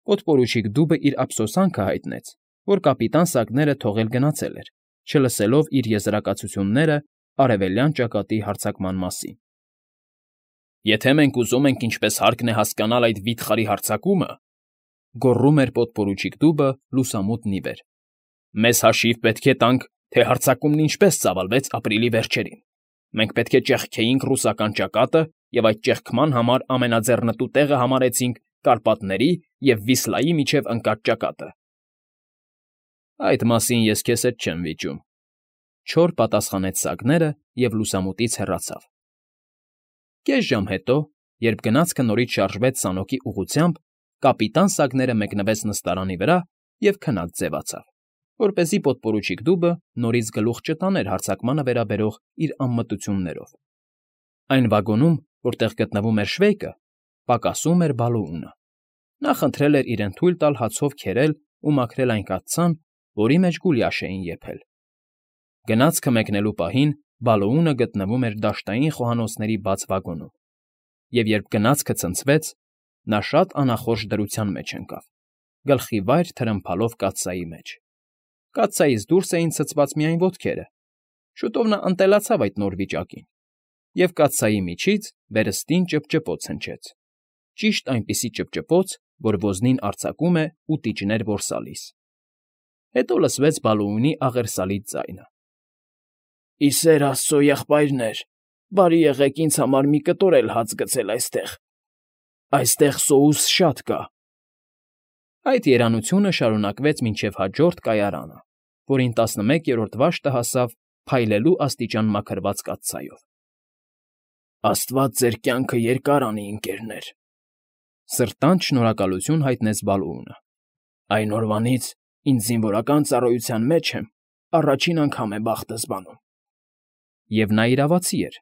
Պոդպորուչիկ դուբը իր ափսոսանքը հայտնեց, որ կապիտան Սակները թողել գնացել էր, չլսելով իր եզրակացությունները արևելյան ճակատի հարձակման մասին։ «Եթե մենք ուզում ենք ինչպես հարկն է հասկանալ այդ վիթխարի հարձակումը,֊ գոռում էր պոդպորուչիկ դուբը լուսամուտն ի վեր,֊ մեզ հաշիվ պետք է տանք, թե հարձակումն ինչպես ծավալվեց ապրիլի վերջերին։ Մենք պետք է ճեղքեինք ռուսական ճակատը և այդ ճեղքման համար ամենաձեռնտու տեղը համարեցինք Կարպատների և Վիսլայի միջև ընկած ճակատը»։ «Այդ մասին ես քեզ հետ չեմ վիճում,֊ չոր պատասխանեց Սակները և լուսամուտից հեռացավ։ Կես ժամ հետո, երբ գնացքը նորից շարժվեց սանոկի ուղղությամբ, կապիտան Սակները մեկնվեց նստարանի վրա և քնած ձևացավ, որպեսզի պոդպորուչիկ դուբը նորից գլուխ չտաներ հարձակմանը վերաբերող իր անմտություններով։ Այն վագոնում, որտեղ գտնվում էր Շվեյկը, պակասում էր Բալոունը։ Նա խնդրել էր իրեն թույլ տալ հացով քերել ու մաքրել այն կաթսան, որի մեջ գուլյաշ էին եփել։ Գնացքը մեկնելու պահին Բալոունը գտնվում էր դաշտային խոհանոցների բաց վագոնում, և երբ գնացքը ցնցվեց, նա շատ անախորժ դրության մեջ ընկավ, գլխի վայր թրմփալով կաթսայի մեջ։ Կաթսայից դուրս էին ցցված միայն ոտքերը։ Շուտով նա ընտելացավ այդ նոր վիճակին, և կաթսայի միջից վերստին ճպճպոց հնչեց, ճիշտ այնպիսի ճպճպոց, որ ոզնին արձակում է ու տիճներ որսալիս։ Հետո լսվեց Բալոունի աղերսալից ձայնը. «Ի սեր աստծո, եղբայրներ, բարի եղեք ինձ համար մի կտոր էլ հաց գցել այստեղ։ Այստեղ սոուս շատ կա»։ Այդ երանությունը շարունակվեց մինչև հաջորդ կայարանը, որին 11-րդ վաշտը հասավ փայլելու աստիճան մաքրված կաթսայով։ «Աստված ձեր կյանքը երկար անի, ընկերներ,֊ սրտանց շնորհակալություն հայտնեց Բալոունը։ Այն օրվանից ինձ զինվորական ծառայության մեջ եմ, առաջին անգամ է բախտս բանում։ Եվ նա իրավացի էր։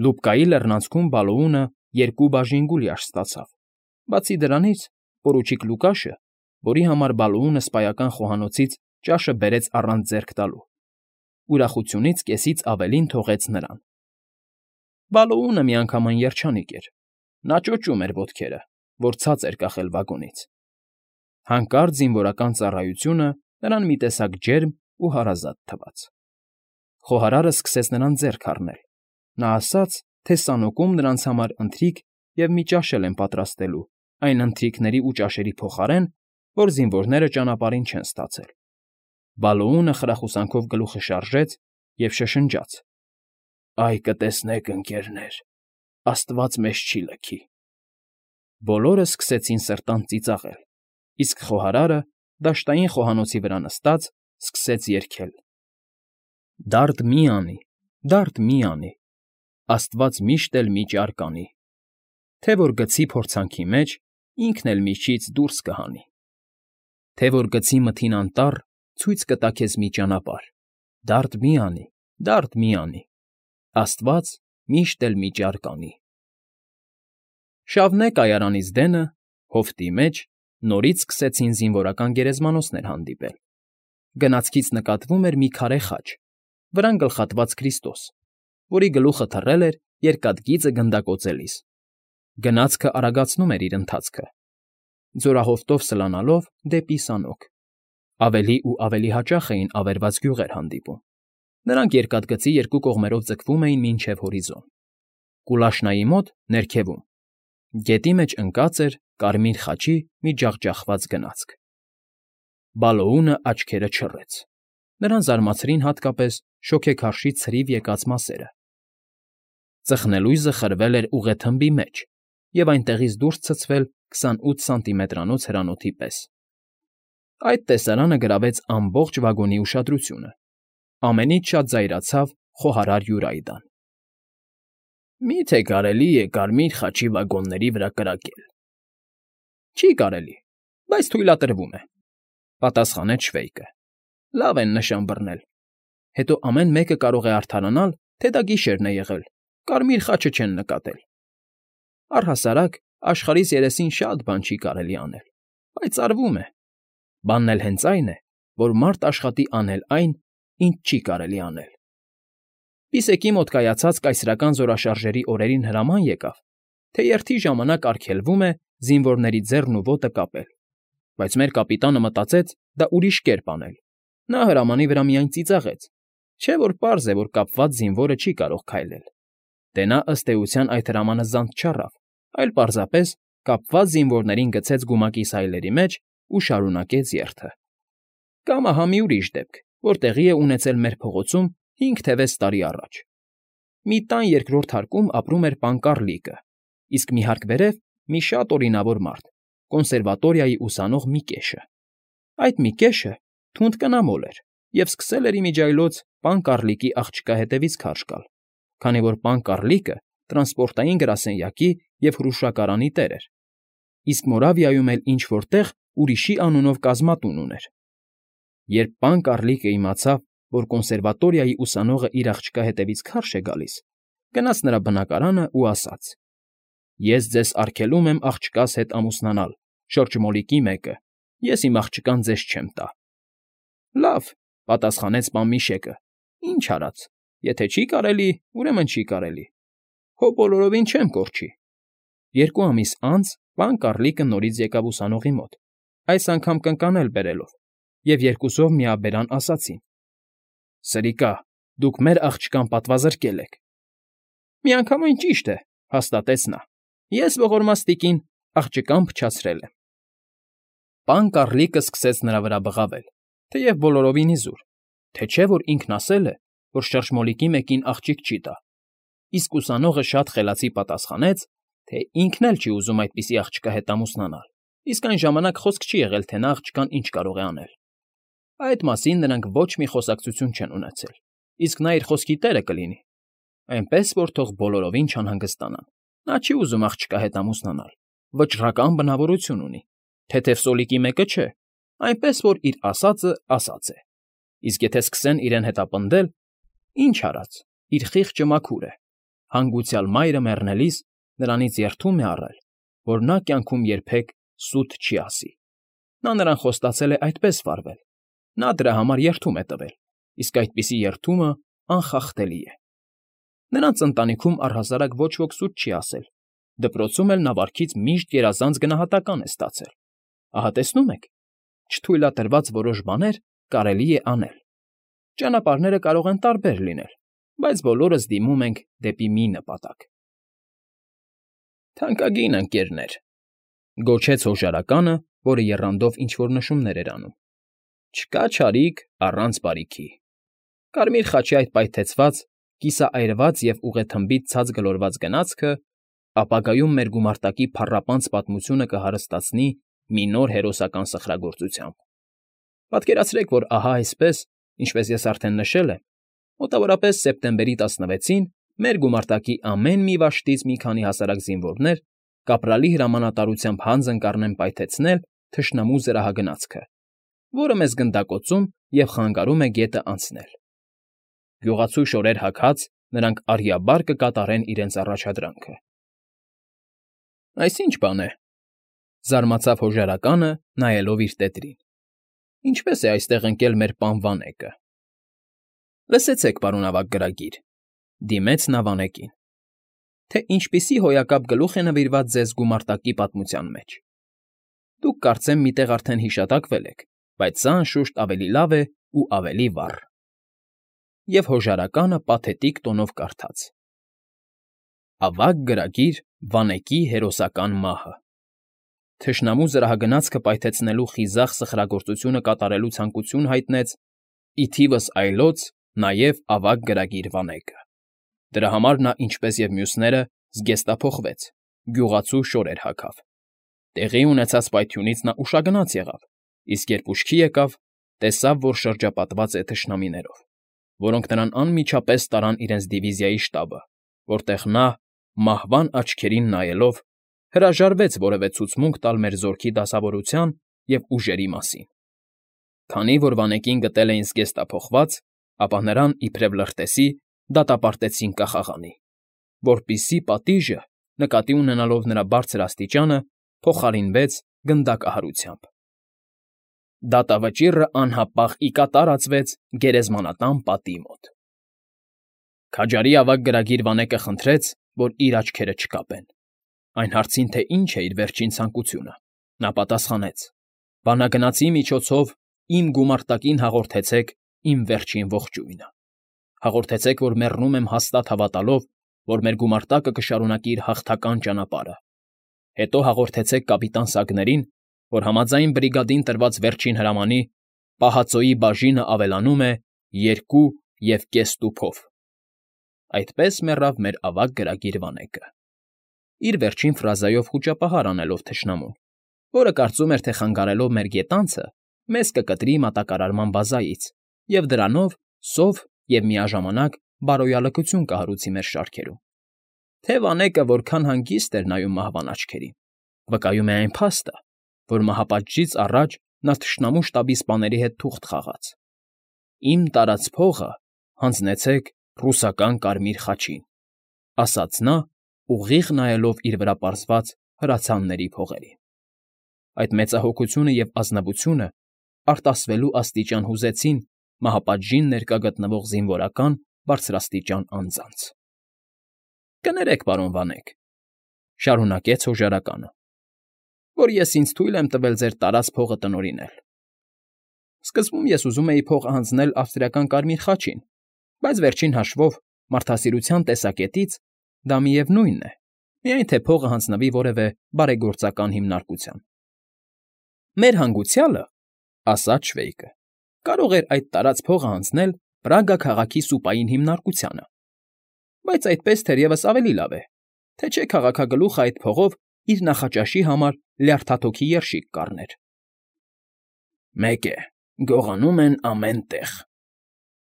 Լուբկայի լեռնանցքում Բալոունը 2 բաժին գուլյաշ ստացավ։ Բացի դրանից, պորուչիկ Լուկաշը, որի համար Բալոունը սպայական խոհանոցից ճաշը բերեց առանց ձեռք տալու, ուրախությունից կեսից ավելին թողեց նրան։ Բալոունը միանգամայն երջանիկ էր։ Նա ճոճում էր ոտքերը, որ ցած էր կախել վագոնից։ Հանկարծ զինվորական ծառայությունը նրան մի տեսակ ջերմ ու հարազատ թվաց։ Խոհարարը սկսեց նրան ձեռք առնել։ Նա ասաց, թե սանոկում նրանց համար ընթրիք և մի ճաշ էլ են պատրաստելու այն ընթրիքների ու ճաշերի փոխարեն, որ զինվորները ճանապարհին չեն ստացել։ Բալոունը խրախուսանքով գլուխը շարժեց և շշնջաց. «Այ կտեսնեք, ընկերներ, Աստված մեզ չի լքի»։ Բոլորը սկսեցին սրտանց ծիծաղել, իսկ խոհարարը, դաշտային խոհանոցի վրա նստած, սկսեց երգել. «Դարդ մի անի, դարդ մի անի, Աստված միշտ էլ մի ճար կանի, Թե որ գցի փորձանքի մեջ, ինքն էլ միջից դուրս կհանի, Թե որ գցի մթին անտառ, ցույց կտա քեզ մի ճանապարհ, Դարդ մի անի, դարդ մի անի, Աստված միշտ էլ մի ճար կանի»։ Շավնե կայարանից դենը, հովտի մեջ, նորից սկսեցին զինվորական գերեզմանոցներ հանդիպել։ Գնացքից նկատվում էր մի քարե խաչ, վրան գլխատված Քրիստոս, որի գլուխը թռել էր երկաթգիծը գնդակոծելիս։ Գնացքը արագացնում էր իր ընթացքը, ձորահովտով սլանալով դեպի սանոք։ Ավելի ու ավելի հաճախ էին ավերված գյուղեր հանդիպում։ Նրանք երկաթգծի երկու կողմերով ձգվում էին մինչև հորիզոն։ Կուլաշնայի մոտ, ներքևում, գետի մեջ ընկած էր կարմիր խաչի մի ջախջախված գնացք։ Բալոունը աչքերը չռեց։ Նրան զարմացրին հատկապես շոգեքարշի ցրիվ եկած մասերը։ Ծխնելույզը խրվել էր ուղեթմբի մեջ և այնտեղից դուրս ցցվել 28 սանտիմետրանոց հրանոթի պես։ Այդ տեսարանը գրավեց ամբողջ վագոնի ուշադրությունը։ Ամենից շատ զայրացավ խոհարար Յուրայդան։ «Մի՞թե կարելի է կարմիր խաչի վագոնների վրա կրակել»։ «Չի կարելի, բայց թույլատրվում է», պատասխանեց Շվեյկը։ «Լավ են նշան բռնել։ Հետո ամեն մեկը կարող է արդարանալ, թե դա գիշերն է եղել, կարմիր խաչը չեն նկատել։ Առհասարակ աշխարհիս երեսին շատ բան չի կարելի անել, բայց արվում է։ Բանն էլ հենց այն է, որ մարդ աշխատի անել այն, ինչ չի կարելի անել»։ Պիսեկի մոտ կայացած կայսրական զորաշարժերի օրերին հրաման եկավ, թե երթի ժամանակ արգելվում է զինվորների ձեռն ու ոտը կապել բայց մեր կապիտանը մտածեց դա ուրիշ կերպ անել. նա հրամանի վրա միայն ծիծաղեց, չէ՞ որ պարզ է, որ կապված զինվորը չի կարող քայլել։ Դե նա ըստ էության այդ հրամանը զանց չառավ, այլ պարզապես կապված զինվորներին գցեց գումակի սայլերի մեջ ու շարունակեց երթը։ Կամ ահա մի ուրիշ դեպք, որ տեղի է ունեցել մեր փողոցում 5-6 տարի առաջ։ Մի տան երկրորդ հարկում ապրում էր պան Կառլիկը, իսկ մի հարկ վերև մի շատ օրինավոր մարդ, կոնսերվատորիայի ուսանող Միկեշը։ Այդ Միկեշը թունդ կնամոլ էր և սկսել էր իմիջիայլոց պան Կառլիկի աղջկա հետևից քարշ գալ, քանի որ պան Կառլիկը տրանսպորտային գրասենյակի և հրուշակարանի տեր էր, իսկ Մորավիայում էլ ինչ֊որ տեղ ուրիշի անունով կազմատուն ուներ։ Երբ պան Կառլիկը իմացավ, որ կոնսերվատորիայի ուսանողը իր աղջկա հետևից քարշ է գալիս, գնաց նրա բնակարանը ու ասաց. «Ես ձեզ արգելում եմ աղջկաս հետ ամուսնանալ, շրջմոլիկի մեկը, ես իմ աղջկան ձեզ չեմ տա»։ «Լավ,֊ պատասխանեց պան Միշեկը,֊ ինչ արած, եթե չի կարելի, ուրեմն չի կարելի, հո բոլորովին չեմ կորչի»։ 2 ամիս անց պան Կառլիկը նորից եկավ ուսանողի մոտ, այս անգամ կնկանել բերելով, և երկուսով միաբերան ասացին. «Սրիկա, դուք մեր աղջկան պատվազրկել եք»։ «Միանգամայն ճիշտ է,֊ հաստատեց նա,֊ ես ողորմաստիկին աղջկան փչացրել եմ»։ Պան Կառլիկը սկսեց նրա վրա բղավել, թեև բոլորովին իզուր, թե չէ որ ինքն ասել է, որ շրջմոլիկի մեկին աղջիկ չի տա, իսկ ուսանողը շատ խելացի պատասխանեց, թե ինքն էլ չի ուզում այդպիսի աղջկա հետ ամուսնանալ, իսկ այն ժամանակ խոսք չի եղել, թե նա աղջկան ինչ կարող է անել։ Այդ մասին նրանք ոչ մի խոսակցություն չեն ունեցել, իսկ նա իր խոսքի տերը կլինի, այնպես որ թող բոլորովին չանհանգստանան։ Նա չի ուզում աղջկա հետ ամուսնանալ, վճռական բնավորություն ունի, թեթև սոլիկի մեկը չէ, այնպես որ իր ասածը ասած է։ Իսկ եթե սկսեն իրեն հետապնդել, ինչ արած, իր խիղճը մաքուր է, հանգուցյալ մայրը մեռնելիս նրանից երդում է առել, որ նա կյանքում երբեք սուտ չի ասի։ Նա նրան խոստացել է այդպես վարվել, նա դրա համար երդում է տվել, իսկ այդպիսի երդումը անխախտելի է։ Նրանց ընտանիքում առհասարակ ոչ ոք սուտ չի ասել, դպրոցում էլ նա վարքից միշտ գերազանց գնահատական է ստացել։ Ահա տեսնում եք, չթույլատրված որոշ բաներ կարելի է անել։ Ճանապարհները կարող են տարբեր լինել, բայց բոլորս դիմում ենք դեպի մի նպատակ։ «Թանկագին ընկերներ,֊ գոչեց հոժարականը, որը եռանդով ինչ֊որ նշումներ էր անում,֊ չկա չարիք առանց բարիքի։ Կարմիր խաչի այդ պայթեցված, կիսաայրված և ուղեթմբից ցած գլորված գնացքը ապագայում մեր գումարտակի փառապանծ պատմությունը կհարստացնի մի նոր հերոսական սխրագործությամբ։ Պատկերացրեք, որ ահա այսպես, ինչպես ես արդեն նշել եմ, մոտավորապես սեպտեմբերի 16-ին մեր գումարտակի ամեն մի վաշտից մի քանի հասարակ զինվորներ կապրալի հրամանատարությամբ հանձն կառնեն պայթեցնել թշնամու զրահագնացքը, որը մեզ գնդակոծում և խանգարում է գետը անցնել։ Գյուղացու շորեր հագած նրանք արիաբար կկատարեն իրենց առաջադրանքը։ «Այս ի՞նչ բան է,֊ զարմացավ հոժարականը, նայելով իր տետրին,֊ ինչպես է այստեղ ընկել մեր պան Վանեկը»։ «Լսեցեք, պարոն ավագ գրագիր,֊ դիմեց նա Վանեկին,֊ թե ինչպիսի հոյակապ գլուխ է նվիրված ձեզ գումարտակի պատմության մեջ։ Դուք կարծեմ մի տեղ արդեն հիշատակվել եք, բայց սա, անշուշտ, ավելի լավ է ու ավելի վառ»։ Եվ հոժարականը պաթետիկ տոնով կարդաց. «Ավագ գրագիր Վանեկի հերոսական մահը։ Թշնամու զրահագնացքը պայթեցնելու խիզախ սխրագործությունը կատարելու ցանկություն հայտնեց ի թիվս այլոց նաև ավագ գրագիր Վանեկը։ Դրա համար նա, ինչպես և մյուսները, զգեստափոխվեց, գյուղացու շորեր հագավ։ Տեղի ունեցած պայթյունից նա ուշագնաց եղավ, իսկ երբ ուշքի եկավ, տեսավ, որ շրջապատված է թշնամիներով, որոնք նրան անմիջապես տարան իրենց դիվիզիայի շտաբը, որտեղ նա, մահվան աչքերին նայելով, հրաժարվեց որևէ ցուցմունք տալ մեր զորքի դասավորության և ուժերի մասին։ Քանի որ Վանեկին գտել էին զգեստափոխված, ապա նրան, իբրև լրտեսի, դատապարտեցին կախաղանի, որպիսի պատիժը, նկատի ունենալով նրա բարձր աստիճանը, փոխարինվեց գնդակահարությամբ։ Դատավճիռը անհապաղ ի կատար ածվեց գերեզմանատան պատի մոտ։ Քաջարի ավագ գրագիր Վանեկը խնդրեց, որ իր աչքերը չկապեն։ Այն հարցին, թե ինչ է իր վերջին ցանկությունը, նա պատասխանեց. Բանագնացի միջոցով իմ գումարտակին հաղորդեցեք իմ վերջին ողջույնը։ Հաղորդեցեք, որ մեռնում եմ հաստատ հավատալով, որ մեր գումարտակը կշարունակի իր հաղթական ճանապարհը։ Հետո հաղորդեցեք կապիտան Սագներին, որ համաձայն բրիգադին տրված վերջին հրամանի պահածոյի բաժինը ավելանում է 2,5 տուփով։ Այդպես մեռավ մեր ավագ գրագիր Վանեկը, իր վերջին ֆրազայով խուճապահար անելով թշնամուն, որը կարծում էր, թե խանգարելով մեր գետանցը, մեզ կկտրի մատակարարման բազայից և դրանով սով և միաժամանակ բարոյալքություն կհարուցի մեր շարքերում։ Թե Վանեկը որքան հանգիստ էր նայում մահվան աչքերին, վկայում է այն փաստը, որ մահապատժից առաջ նա թշնամու շտաբի սպաների հետ թուղթ խաղաց. «Իմ տարած փողը հանձնեցեք ռուսական Կարմիր խաչին», ասաց նա, ուղիղ նայելով իր վրա պարզված հրացանների փողերին։ Այդ մեծահոգությունը և ազնվությունը արտասվելու աստիճան հուզեցին մահապատժին ներկա գտնվող զինվորական բարձրաստիճան անձանց։ «Կներեք, պարոն Վանեկ,֊ շարունակեց հոժարականը,֊ որ ես ինձ թույլ եմ տվել ձեր տարած փողը տնօրինել։ Սկզբում ես ուզում էի փողը հանձնել ավստրիական Կարմիր խաչին, բայց վերջին հաշվով, մարդասիրության տեսակետից դա միևնույնն է, միայն թե փողը հանձնվի որևէ բարեգործական հիմնարկության»։ «Մեր հանգուցյալը,֊ ասաց Շվեյկը,֊ կարող էր այդ տարած փողը հանձնել Պրագա քաղաքի սուպային հիմնարկությանը, բայց այդպես թերևս ավելի լավ է, թե չէ քաղաքագլուխը այդ փողով իր նախաճաշի համար լյարդաթոքի երշիկ կառներ»։ «Մեկ է, գողանում են ամեն տեղ,֊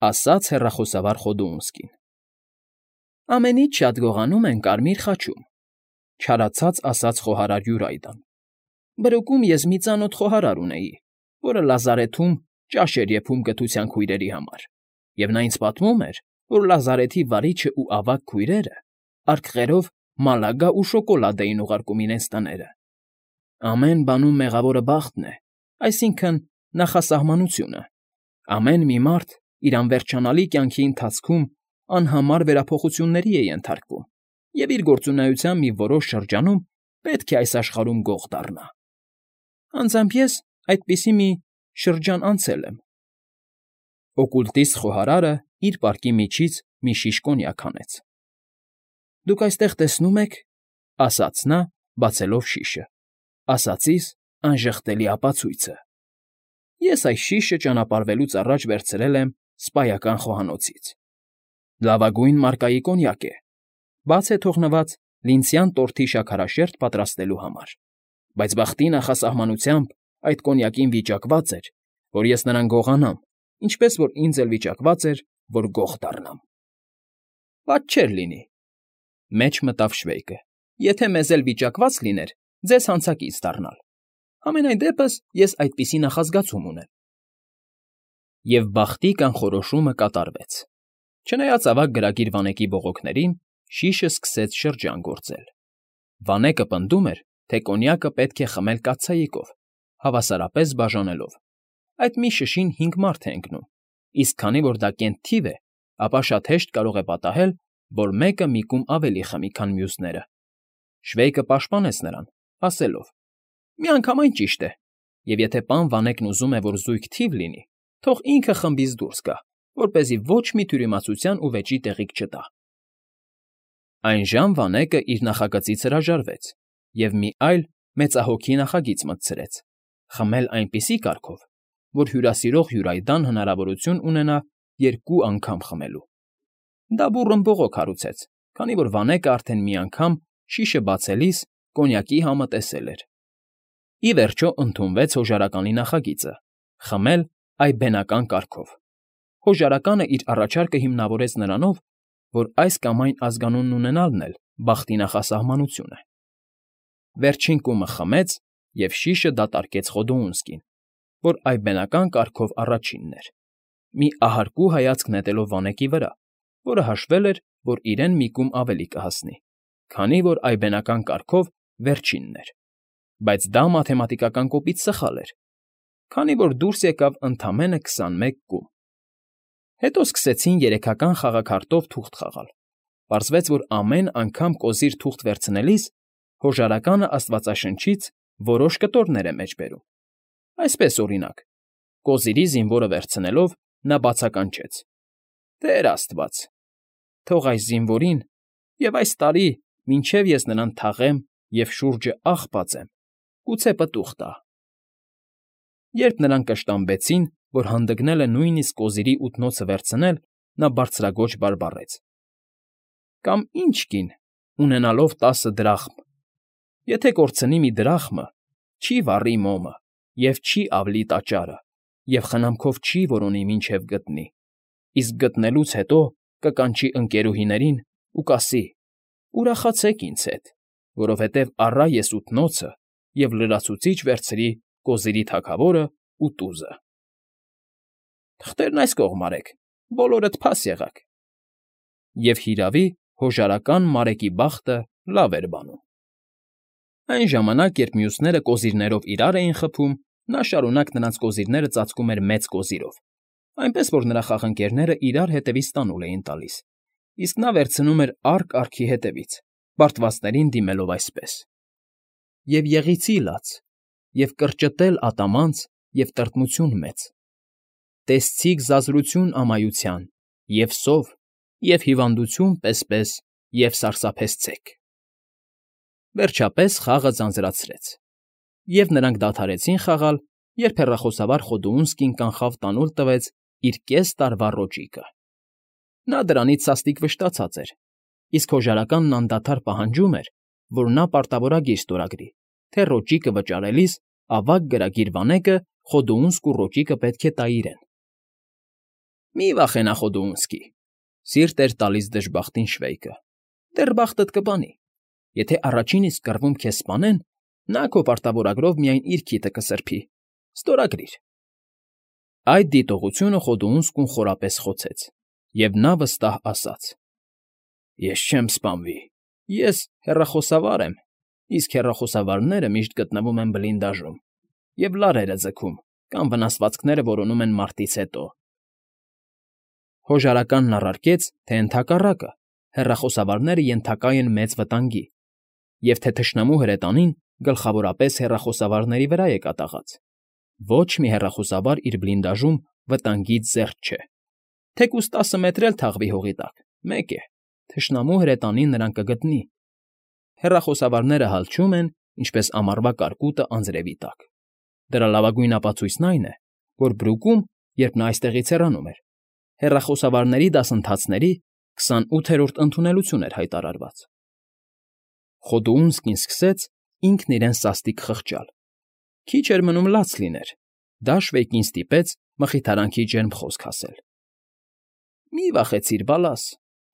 ասաց հեռախոսավար Խոդոունսկին։ «Ամենից շատ գողանում են Կարմիր խաչում,֊ չարացած ասաց խոհարար Յուրայդան։ «Բրուկում ես մի ծանոթ խոհարար ունեի, որը լազարեթում ճաշ էր եփում կթության քույրերի համար, և նա ինձ պատմում էր, որ լազարեթի վարիչն ու ավագ քույրերը արկղերով մալագա ու շոկոլադ էին ուղարկում իրենց տները։ Ամեն բանում մեղավորը բախտն է, այսինքն՝ նախասահմանությունը։ Ամեն մի մարդ իր անվերջանալի կյանքի ընթացքում անհամար վերափոխությունների է ենթարկվում և իր գործունեության մի որոշ շրջանում պետք է այս աշխարհում գող դառնա։ Անձամբ ես այդպիսի մի շրջան անցել եմ»։ Օկուլտիստ խոհարարը իր պարկի միջից մի շիշ կոնյակ հանեց։ «Դուք այստեղ տեսնում եք,֊ ասաց նա, բացելով շիշը,֊ ասածիս անժխտելի ապացույցը։ Ես այս շիշը ճանապարհվելուց առաջ վերցրել եմ սպայական խոհանոցից։ Լավագույն մարկայի կոնյակ է, բաց է թողնված լինցյան տորթի շաքարաշերտ պատրաստելու համար, բայց բախտի նախասահմանությամբ այդ կոնյակին վիճակված էր, որ ես նրան գողանամ, ինչպես որ ինձ էլ վիճակված էր, որ գող դառնամ»։ «Պատճ չէր լինի,֊ մեջ մտավ Շվեյկը,֊ եթե մեզ էլ վիճակված լիներ ձեզ հանցակից դառնալ։ Համենայն դեպս ես այդպիսի նախազգացում ունեմ»։ Եվ բախտի կանխորոշումը կատարվեց։ Չնայած ավագ գրագիր Վանեկի բողոքներին, շիշը սկսեց շրջան գործել։ Վանեկը պնդում էր, թե կոնյակը պետք է խմել կաթսայիկով, հավասարապես բաժանելով։ Այդ մի շշին 5 մարդ է ընկնում, իսկ քանի որ դա կենտ թիվ է, ապա շատ հեշտ կարող է պատահել, որ մեկը մի կում ավելի խմի, քան մյուսները։ Շվեյկը պաշտպանեց նրան, ասելով. «Միանգամայն ճիշտ է, և եթե պան Վանեկն ուզում է, որ զույգ թիվ լինի, թող ինքը խմբից դուրս գա, որպեսզի ոչ մի թյուրիմացության ու վեճի տեղիք չտա»։ Այնժամ Վանեկը իր նախագծից հրաժարվեց և մի այլ մեծահոգի նախագիծ մտցրեց՝ խմել այնպիսի կարգով, որ հյուրասիրող Յուրայդան հնարավորություն ունենա 2 անգամ խմելու։ Դա բուռն բողոք հարուցեց, քանի որ Վանեկը արդեն մի անգամ շիշը բացելիս կոնյակի համը տեսել էր։ Ի վերջո ընդունվեց հոժարականի նախագիծը՝ խմել այբբենական կարգով։ Հոժարականը իր առաջարկը հիմնավորեց նրանով, որ այս կամ այն ազգանունն ունենալն էլ բախտի նախասահմանություն է։ Վերջին կումը խմեց, և շիշը դատարկեց Խոդոունսկին, որ այբբենական կարգով առաջինն էր, մի ահարկու հայացք նետելով Վանեկի վրա, որը հաշվել էր, որ իրեն մի կում ավելի կհասնի, քանի որ այբբենական կարգով վերջինն էր, բայց դա մաթեմատիկական կոպիտ սխալ էր, քանի որ դուրս եկավ ընդամենը 21 կում։ Հետո սկսեցին երեքական խաղաքարտով թուղթ խաղալ։ Պարզվեց, որ ամեն անգամ կոզիր թուղթ վերցնելիս հոժարականը Աստվածաշնչից որոշ կտորներ է մեջ բերում։ Այսպես, օրինակ, կոզիրի զինվորը վերցնելով, նա բացականչեց. «Տեր աստված, թող այս զինվորին և այս տարի, մինչև ես նրան թաղեմ և շուրջը աղ բացեմ, գուցե պտուղ տա»։ Երբ նրան կշտամբեցին, որ հանդգնել է նույնիսկ կոզիրի ութնոցը վերցնել, նա բարձրաձոչ բարբառեց. «Կամ ինչ կին, ունենալով 10 դրախմ, եթե կորցնի մի դրախմը, չի վառի մոմը և չի ավլի տաճարը և խնամքով չի որոնի, մինչև գտնի, իսկ գտնելուց հետո կկանչի ընկերուհիներին ու կասի. «Ուրախացեք ինձ հետ, որովհետև առա ես ութնոցը և լրացուցիչ վերցրի կոզիրի թագավորն ու տուզը»։ Թղթերն այս կողմ արեք, բոլորդ փաս եղաք։ Եվ հիրավի, հոժարական Մարեկի բախտը լավ էր բանում։ Այն ժամանակ, երբ մյուսները կոզիրներով իրար էին խփում, նա շարունակ նրանց կոզիրները ծածկում էր մեծ կոզիրով, այնպես որ նրա խաղընկերները իրար հետևից տանուլ էին տալիս, իսկ նա վերցնում էր արկ արքի հետևից, բարդվածներին դիմելով այսպես. «Եվ եղիցի լաց, և կրճտել ատամանց, և տրտմություն մեծ, տեսցիկ զազրություն ամայության, և սով, և հիվանդություն պես, և սարսափեցցեք»։ Վերջապես խաղը ձանձրացրեց, և նրանք դադարեցին խաղալ, երբ հեռախոսավար Խոդուունսկին կանխավ տանուլ տվեց իր կես տարվա ռոճիկը։ Նա դրանից սաստիկ վշտացած էր, իսկ հոժարականն անդադար պահանջում էր, որ նա պարտավորագիր ստորագրի, թե ռոճիկը վճարելիս ավագ գրագիր վանեկը Խոդուունսկու ռոճիկը պետք է տա իրեն։ «Մի վախենա, Խոդուունսկի,֊ սիրտ էր տալիս դժբախտին Շվեյկը,֊ դեռ բախտդ կբանի։ Եթե առաջին իսկ կռվում քեզ սպանեն, նա քո պարտավորագրով միայն իր քիթը կսրբի, ստորագրիր»։ Այդ դիտողությունը Խոդուունսկուն խորապես խոցեց, և նա վստահ ասաց. «Ես չեմ սպանվի, ես հեռախոսավար եմ, իսկ հեռախոսավարները միշտ գտնվում են բլինդաժում և լարերը ձգում կամ վնասվածքները որոնում են մարտից հետո»։ Հոժարականն առարկեց, թե ընդհակառակը, հեռախոսավարները ենթակա են մեծ վտանգի, և թե թշնամու հրետանին գլխավորապես հեռախոսավարների վրա է կատաղած։ Ոչ մի հեռախոսավար իր բլինդաժում վտանգից զերծ չէ։ Թեկուզ 10 մետր էլ թաղվի հողի տակ, մեկ է, թշնամու հրետանին նրան կգտնի։ Հեռախոսավարները հալչում են, ինչպես ամառվա կարկուտը անձրևի տակ։ Դրա լավագույն ապացույցն այն է, որ Բրուկում, երբ նա այստեղից հեռանում էր, հեռախոսավարների դասընթացների 28-րդ ընդունելություն էր հայտարարված։ Խոդուունսկին սկսեց ինքն իրեն սաստիկ խղճալ։ Քիչ էր մնում լաց լիներ, դա Շվեյկին ստիպեց մխիթարանքի ջերմ խոսք ասել. «Մի վախեցիր, բալաս,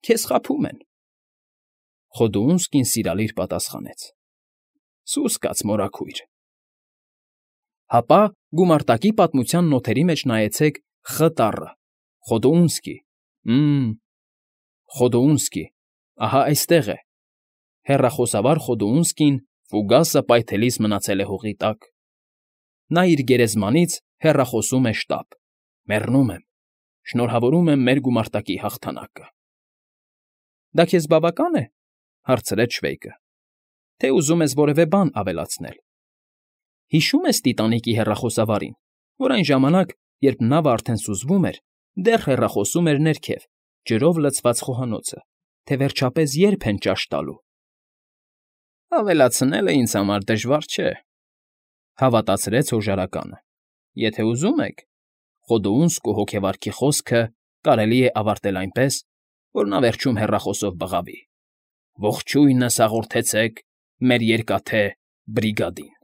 քեզ խաբում են»։ Խոդուունսկին սիրալիր պատասխանեց. «Սուս կաց, մորաքույր»։ Հապա գումարտակի պատմության նոթերի մեջ նայեցեք Խ տառը, Խոդուունսկի, Խոդուունսկի, ահա այստեղ է։ Հեռախոսավար Խոդուունսկին ֆուգասը պայթելիս մնացել է հողի տակ։ Նա իր գերեզմանից հեռախոսում է շտապ. «Մեռնում եմ, շնորհավորում եմ մեր գումարտակի հաղթանակը»։ «Դա քեզ բավական է,֊ հարցրեց Շվեյկը,֊ թե ուզում ես որևէ բան ավելացնել։ Հիշո՞ւմ ես Տիտանիկի հեռախոսավարին, որ այն ժամանակ, երբ նավը արդեն սուզվում էր, դեռ հեռախոսում էր ներքև, ջրով լցված խոհանոցը, թե վերջապես ե՞րբ են ճաշ տալու»։ «Ավելացնելը ինձ համար դժվար չէ,֊ հավատացրեց հոժարականը։ «Եթե ուզում եք, Խոդուունսկու հոգևարքի խոսքը կարելի է ավարտել այնպես, որ նա վերջում հեռախոսով բղավի. «Ողջույնս հաղորդեցեք մեր երկաթե բրիգադին»։